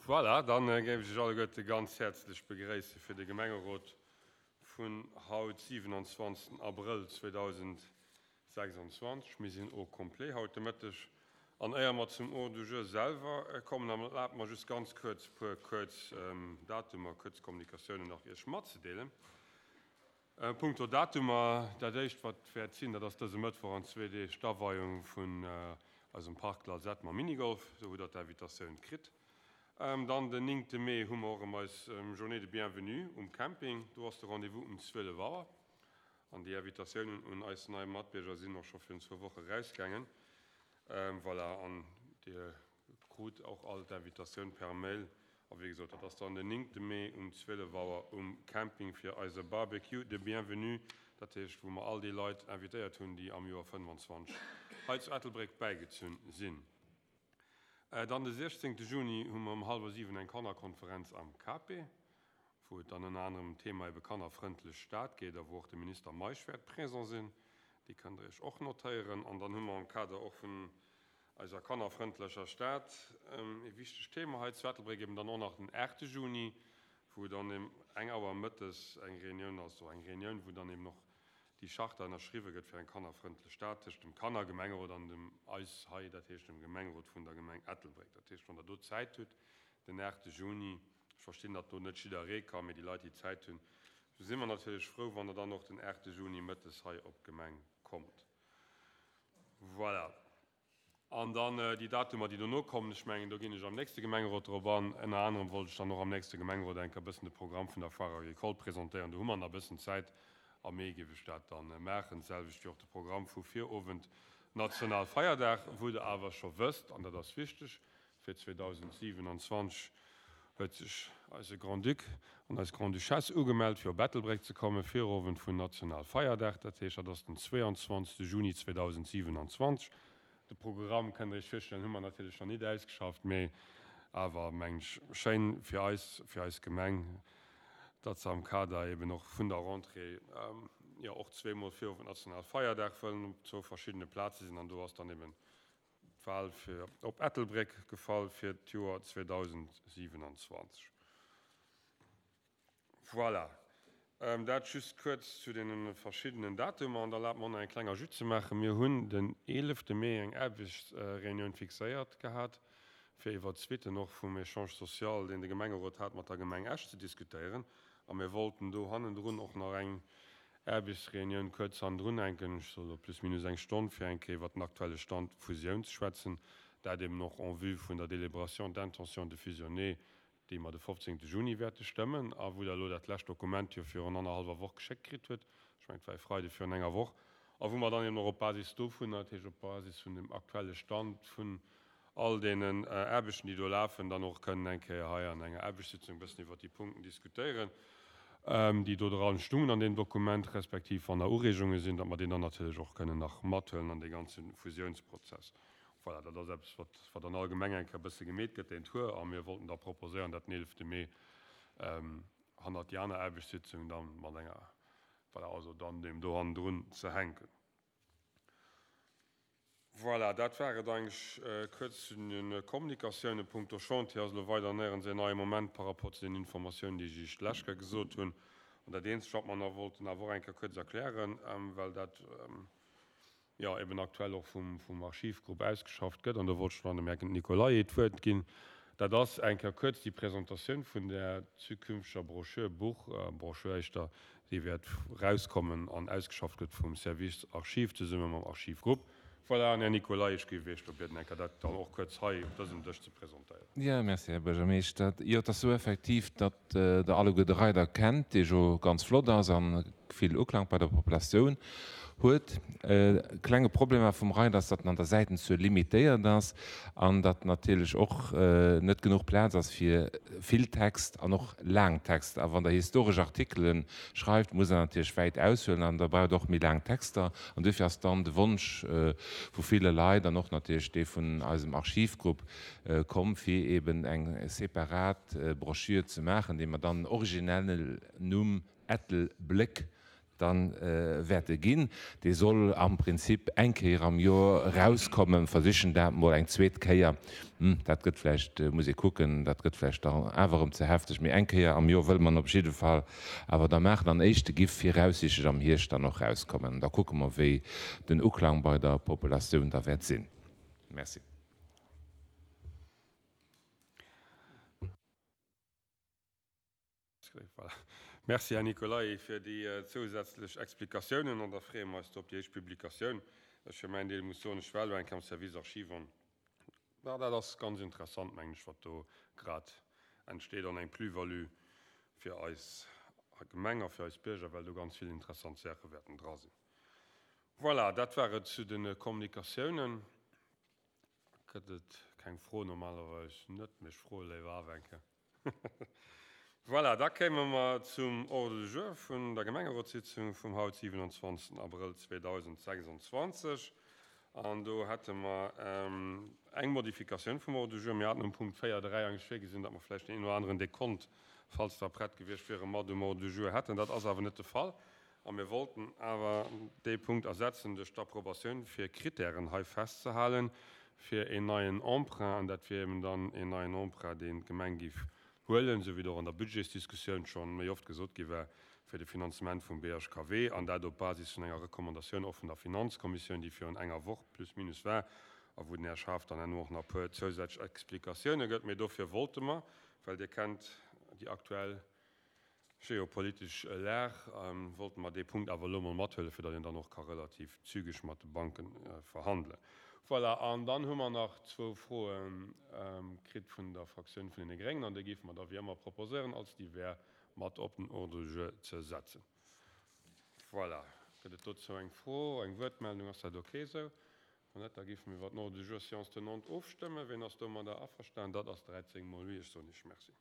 Voilà, dann géif ech Iech alleguerte ganz häerzlech begréisse fir de Gemengerot vun haut, 27 Abrëll 2026. Mir sinn au complet haut de Mëtteg. An éier mer zum Ordre du jour selwer kommen, erlaabt mer just ganz kuerz e puer kuerz Datumer, kuerz Kommunikatiounen nach Iech matzedeelen. Punkto Datumer, dat éischt wat wäert sinn, dat ass dëse Mëttwoch an zwee Deeg d'Aweiung vun eisem Parc Lalzette mam Minigolf. Do hutt der d'Invitatioun kritt. Dann den néngte Mee hu mer och erëm eis Journée de Bienvenue um Camping. Do ass de Rendez-vous um 12 Auer. An déi Invitatiounen un eis nei Matbierger sinn och scho virun zwou Woche rausgaangen. Voilà, an Dir Krut och all d'Invitatioun per Mail. A wéi gesot, dat ass dann den 9 Mee um 12 Auer um Camping fir eise Barbecue de Bienvenue, dat heescht wou mer all déi Leit invitéiert hunn, déi am Joer 25 hei zu Ettelbréck bäigezunn sinn. Dann de 16 Juni hu mer um hallwer 7 eng Kannerkonferenz am KP, wou et dann ënner anerem ëm d'Thema ebe kannerfrëndlech Stad geet a wou och de Minister Meisch wäert présent sinn. Déi kënnt der iech och notéieren. An dann hu mer am Kader och vun eiser kannerfrëndlecher Stad ee wichtegt Thema hei zu Ettelbréck, eben dann och nach den 8 Juni, wou dann ëm eng Auer mëttes eng Reunioun ass, eng Reunioun, wou dann eben och déi Charta ënnerschriwwe gëtt fir eng kannerfrëndlech Stad tëscht dem Kannergemengerot an dem eis hei, dat heescht dem Gemengerot vun der Gemeng Ettelbréck. Dat heescht, wann Der do Zäit hutt, den 8 Juni, ech verstinn, datt do net jidderee ka, mee déi Leit, déi Zäit hunn, do si mer natierlech frou, wann Der dann och den 8 Juni mëttes hei op d'Gemeng kommt. Voilà. An dann déi Datumer, déi dono kommen, ech mengen, do ginn ech am nächste Gemengerot drop an. Ënner anerem wollt ech dann och am nächste Gemengerot eng Kéier e bëssen de Programm vun der Foire agricole presentéieren. Do hu mer nach e bëssen Zäit. Am Mee géif ech dat da maachen. D'selwecht wéi och de Programm vu Virowend Nationalfeierdag, wou Der awer scho wësst, an dat ass wichteg, Fir 2027 huet sech eise Grand-Duc an eis Grande-Duchesse ugemellt, fir op Ettelbréck ze kommen, Virowend vun Nationalfeierdag. Dat heescht, dat ass den 22. Juni 2027. De Programm, kënnt Der Iech virstellen, hu mer natierlech nach nit ausgeschafft, mee awer, mengen ech, schéin fir eis, fir eis Gemeng, datt se am Kader eben och vun der Rentrée, jo, och zweemol Virowend Nationalfeierdag wëllen op zwou verschiddene Plaze sinn. An do ass dann eben D'Wal fir op Ettelbréck gefall fir d'Joer 2027. Voilà, dat just kuerz zu deene verschiddenen Datumer. An da erlaabt mer och nach eng kleng Ajoute ze maachen. Mir hunn den 11 Mee eng Aarbechtsreunioun fixéiert gehat, fir iwwert d'Suitten och vum Échange social, deen de Gemengerot hat mat der Gemeng Esch, ze diskutéieren. A mir wollten do hannendrun och nach eng Aarbechtsreunioun kuerz hannendrun hänken, ech soe lo plus minus eng Stonn, fir eng Kéier iwwert den aktuelle Stand Fusioun ze schwätzen, dat eben och en vue vun der Délibération d'intention de fusionner, déi mer de 15. Juni wäerte stëmmen a wou Der elo dat lescht Dokument jo virun annerhallwer Woch geschéckt kritt hutt, ech mengen et war e Freide virun enger Woch, a wou mer dann eben och op Basis dovunner, dat heescht op Basis vun dem aktuelle Stand vun all deenen Aarbechten, déi do lafen, dann och kënnen eng Kéier hei an enger Aarbechtssitzung e bëssen iwwert déi Punkten diskutéieren, déi do dran stungen an deem Dokument, respektiv wann nach Ureegunge sinn, datt mer déi dann natierlech och kënnen nach mathuelen an dee ganze Fusiounsprozess. Voilà, dat ass eppes, wat, wat an all Gemeng eng Kéier e bësse gemeet gëtt, deen Tour. A mir wollten da proposéieren, dat den 11 Mee hannert déi aner Aarbechtssitzung da mat enger, voilà, also dann deem do hannendrun ze hänken. Voilà, dat war et eigentlech kuerz zu den Kommunikatiounen. Punkto Chantier ass elo weider néierens een neie Moment par rapport zu den Informatiounen, déi ech Iech d'lescht Kéier gesot hunn. An dat eenzegt, wat mer nach wollten awer och eng Kéier kuerz erklären, well dat jo eben aktuell och vum Archivgrupp ausgeschafft gëtt, an do wollt ech dann dem Här Nicolay d'Wuert ginn, Dat ass eng Kéier kuerz déi Presentatioun vun där zukünfteger Broschür, Buch, Broschür éischter, déi wäert erauskommen an ausgeschafft gëtt vum Service Archiv zesumme mam Archivgrupp. Voilà, an Här Nicolay, ech géif Iech do bieden, eng Kéier dat dann och kuerz hei op dësem Dësch ze presentéieren. Jo, merci, Här Buergermeeschter. Jo, et ass esou effektiv, datt Der alleguer de Reider kennt, dee jo ganz flott ass a vill Uklang bei der Populatioun huet. E klenge Problem awer vum Reider ass, datt en an der Säitenzuel limitéiert ass an datt natierlech och net genuch Plaz ass fir vill Text an och laang Texter. A wann Der historesch Artikele schreift, musst Der natierlech wäit aushuelen an da braucht Der och méi laang Texter. An duerfir ass dann de Wonsch vu ville Leit an och natierlech dee vun eisem Archivgrupp komm, fir eben eng separat Broschür ze maachen, déi mer dann originelle Numm Ettelbléck. Dann wäerte ginn. Dee soll am Prinzip eng Kéier am Joer erauskommen. Versichen dat mol eng zweet Kéier. Dat gëtt vläicht, muss ee kucken, dat gëtt vläicht dann awer erëm ze hefteg. Mee eng Kéier am Joer wëlle mer en op jidde Fall awer da maachen. An éischte giff viraussiichtlech am Hierscht dann och erauskommen. Da kucke mer, wéi den Uklang bei der Populatioun da wäert sinn. Merci. Merci, Här Nicolay, fir déi zousätzlech Explikatiounen. An da freeë mer eis do op déi éischt Publikatioun. Ech fir mäin Deel muss soen, ech war elo eng Kéier am Service Archives an dat ass ganz interessant, mengen ech, wat do grad entsteet an eng Plus-value fir eis Gemeng a fir eis Bierger, well do ganz vill interessant Saache wäerten dra sinn. Voilà, dat war et zu de Kommunikatiounen. Gëtt et keng Fro? Normalerweis net, mee ech froe léiwer awer eng Kéier. Voilà, da kéime mer zum Ordre du jour vun der Gemengerotssitzung vum haut 27. Abrëll 2026. An do hätte mer eng Modifikatioun vum Ordre du jour. Mir haten um Punkt 4, 3 eigentlech virgesinn, datt mer vläicht deen een oder aneren Dekont, falls der prett gewiescht wieren, mat um Ordre du jour hätten. Dat ass awer net de Fall. A mir wollten awer dee Punkt ersetzen duerch d'Approbatioun, fir Kritären hei festzehalen fir een neien Emprunt. An dat wier eben dann een neien Emprunt, deen d'Gemeng géif huelen, esou wéi et och an der Budgetsdiskussioun scho méi oft gesot gi war, fir de Finanzement vum BHKW, an dat op Basis vun enger Recommandatioun och vun der Finanzkommissioun, déi virun enger Woch plus minus war a wou den Här Schaaf dann herno och nach e puer zousätzlech Explikatioune gëtt. Mee dofir wollte mer, well Dir kennt déi aktuell Geopolitesch Lag, wollte mer dee Punkt awer elo mol mathuelen, fir datt een dann och ka relativ zügeg mat de Banke verhandelen. Voilà, an dann hu mer nach zwou Froe kritt vun der Fraktioun vun deene Gréngen, an déi géife mer da wéi ëmmer proposéieren, als divers mat op den Ordre du jour ze setzen. Voilà, gëtt et dozou eng Fro, eng Wuertmeldung? Ass dat ok esou? Wann net, da géife mir iwwer den Ordre du jour séance tenante ofstëmmen. Wien ass domadder averstanen? Dat ass 13 mol oui. Ech soen Iech Merci.